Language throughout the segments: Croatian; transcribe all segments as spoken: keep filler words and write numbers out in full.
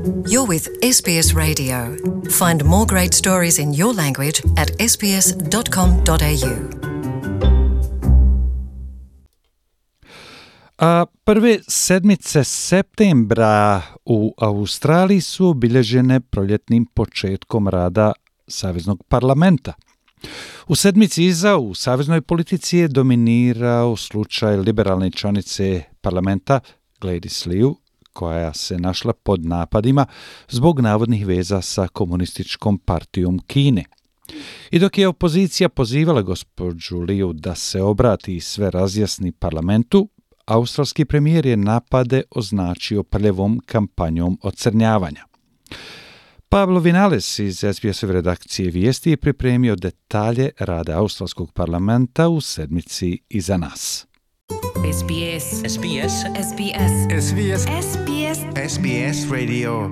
You're with S B S Radio. Find more great stories in your language at s b s dot com dot a u. A prve sedmice septembra u Australiji su obilježene proljetnim početkom rada Saveznog parlamenta. U sedmici iza u saveznoj politici je dominirao slučaj liberalne članice parlamenta Gladys Liu, koja se našla pod napadima zbog navodnih veza sa komunističkom partijom Kine. I dok je opozicija pozivala gospođu Liu da se obrati i sve razjasni parlamentu, australski premijer je napade označio prljavom kampanjom ocrnjavanja. Pablo Vinales iz S B S-ove redakcije vijesti je pripremio detalje rada australskog parlamenta u sedmici iza nas. S B S S B S S B S S B S S B S S B S Radio.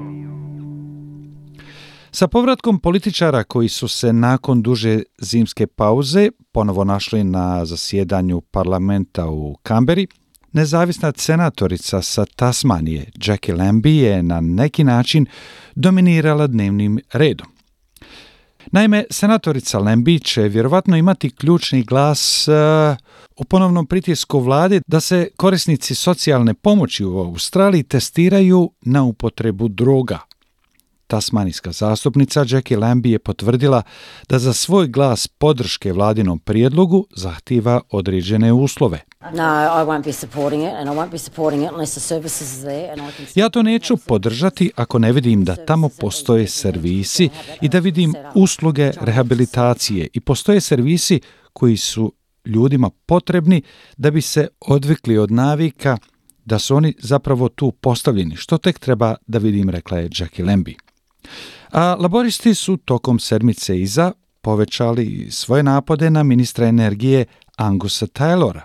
Sa povratkom političara koji su se nakon duže zimske pauze ponovo našli na zasjedanju parlamenta u Kamberi, nezavisna senatorica sa Tasmanije, Jackie Lambie, je na neki način dominirala dnevnim redom. Naime, senatorica Lambie će vjerovatno imati ključni glas uh, u ponovnom pritisku vlade da se korisnici socijalne pomoći u Australiji testiraju na upotrebu droga. Tasmanijska zastupnica Jackie Lambie je potvrdila da za svoj glas podrške vladinom prijedlogu zahtijeva određene uslove. Ja to neću podržati ako ne vidim da tamo postoje servisi i da vidim usluge rehabilitacije i postoje servisi koji su ljudima potrebni da bi se odvikli od navika, da su oni zapravo tu postavljeni, što tek treba da vidim, rekla je Jackie Lambie. A laboristi su tokom sedmice iza povećali svoje napade na ministra energije Angusa Taylora.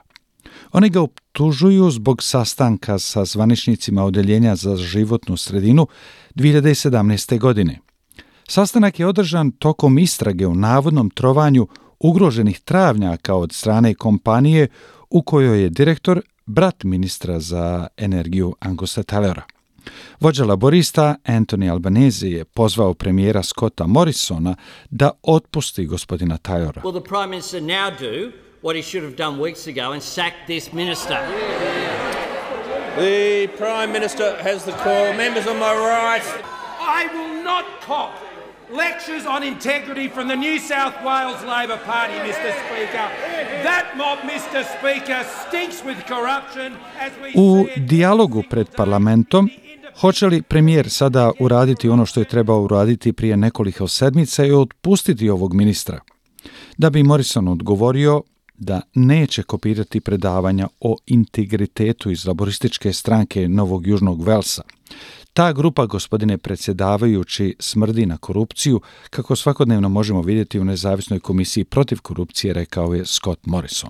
Oni ga optužuju zbog sastanka sa zvaničnicima Odeljenja za životnu sredinu dvije hiljade sedamnaeste. godine. Sastanak je održan tokom istrage o navodnom trovanju ugroženih travnjaka od strane kompanije u kojoj je direktor brat ministra za energiju Angusa Taylora. Vođa laborista Anthony Albanese je pozvao premijera Scotta Morrisona da otpusti gospodina Taylora. Will the Prime Minister now do what he should have done weeks ago and sack this minister? The Prime Minister has the call. Members on my right. I will not cop lectures on integrity from the New South Wales Labor Party, Mister Speaker. That mob, Mister Speaker, stinks with corruption as we U see it. dijalogu pred parlamentom hoće li premijer sada uraditi ono što je trebao uraditi prije nekoliko sedmica i otpustiti ovog ministra? Da bi Morrison odgovorio da neće kopirati predavanja o integritetu iz laborističke stranke Novog Južnog Velsa. Ta grupa, gospodine predsjedavajući, smrdi na korupciju, kako svakodnevno možemo vidjeti u nezavisnoj komisiji protiv korupcije, rekao je Scott Morrison.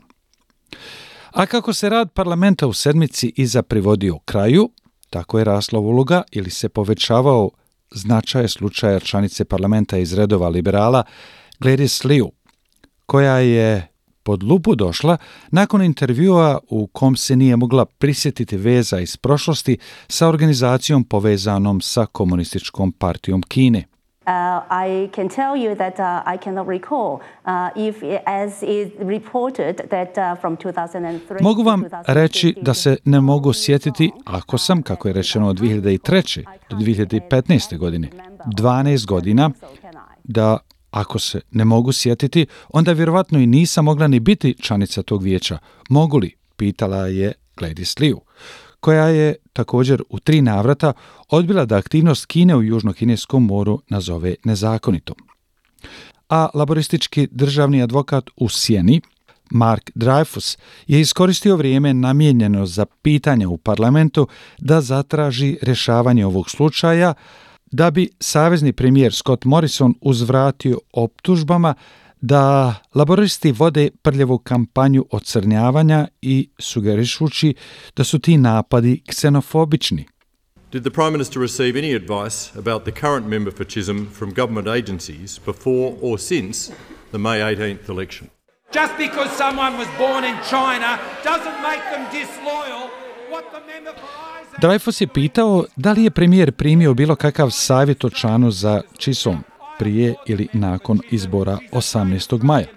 A kako se rad parlamenta u sedmici iza privodio kraju, tako je rasla uloga ili se povećavao značaj slučaja članice parlamenta iz redova liberala Gladys Liu, koja je pod lupu došla nakon intervjua u kom se nije mogla prisjetiti veza iz prošlosti sa organizacijom povezanom sa komunističkom partijom Kine. Uh, I can tell you that uh, I cannot recall uh, if, as is reported, that uh, from two thousand three Mogu vam reći da se ne mogu sjetiti ako sam, kako je rečeno, od dvije hiljade treće do dvije hiljade petnaeste. godine, dvanaest godina, da ako se ne mogu sjetiti, onda vjerovatno i nisam mogla ni biti članica tog vijeća. Mogu li? Pitala je Gladys Liu, koja je također u tri navrata odbila da aktivnost Kine u Južno-kineskom moru nazove nezakonitom. A laboristički državni advokat u sjeni, Mark Dreyfus, je iskoristio vrijeme namijenjeno za pitanja u parlamentu da zatraži rješavanje ovog slučaja, da bi savezni premijer Scott Morrison uzvratio optužbama da laboristi vode prljavu kampanju ocrnjavanja i sugerišući da su ti napadi ksenofobični. Did the Prime Minister receive any advice about the current member for Chisholm from government agencies before or since the May eighteenth election? Just because someone was born in China doesn't make them disloyal. What the member for Isaac Dreyfus je pitao da li je premijer primio bilo kakav savjet o Chanu za Chisholm prije ili nakon izbora osamnaestog maja,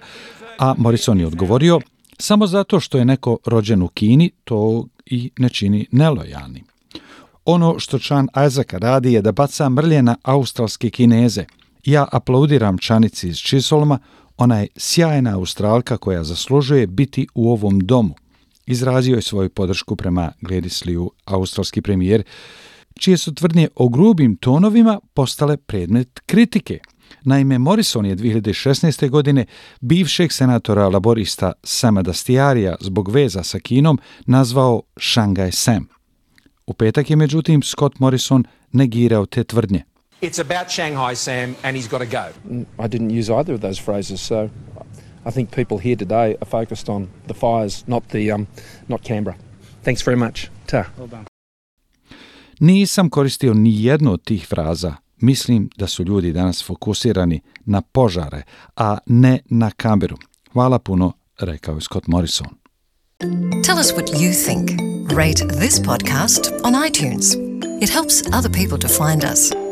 a Morrison je odgovorio: samo zato što je neko rođen u Kini, to i ne čini nelojalnim. Ono što Chan Isaac radi je da baca mrlje na australske Kineze. Ja aplaudiram Chanici iz Chisholma, ona je sjajna Australka koja zaslužuje biti u ovom domu. Izrazio je svoju podršku prema Gladys Liu, australski premijer, čije su tvrdnje o grubim tonovima postale predmet kritike. Naime, Morrison je dvije hiljade šesnaeste. godine bivšeg senatora laborista Sama Dastyarija zbog veza sa Kinom nazvao Shanghai Sam. U petak je međutim Scott Morrison negirao te tvrdnje. It's about Shanghai Sam and he's got to go. I didn't use either of those phrases, so I think people here today are focused on the fires, not the um, not Canberra. Thanks very much. Ta. Well done. Nisam koristio ni jednu od tih fraza. Mislim da su ljudi danas fokusirani na požare, a ne na Canberru. Hvala puno, rekao je Scott Morrison. Tell us what you think. Rate this podcast on iTunes. It helps other people to find us.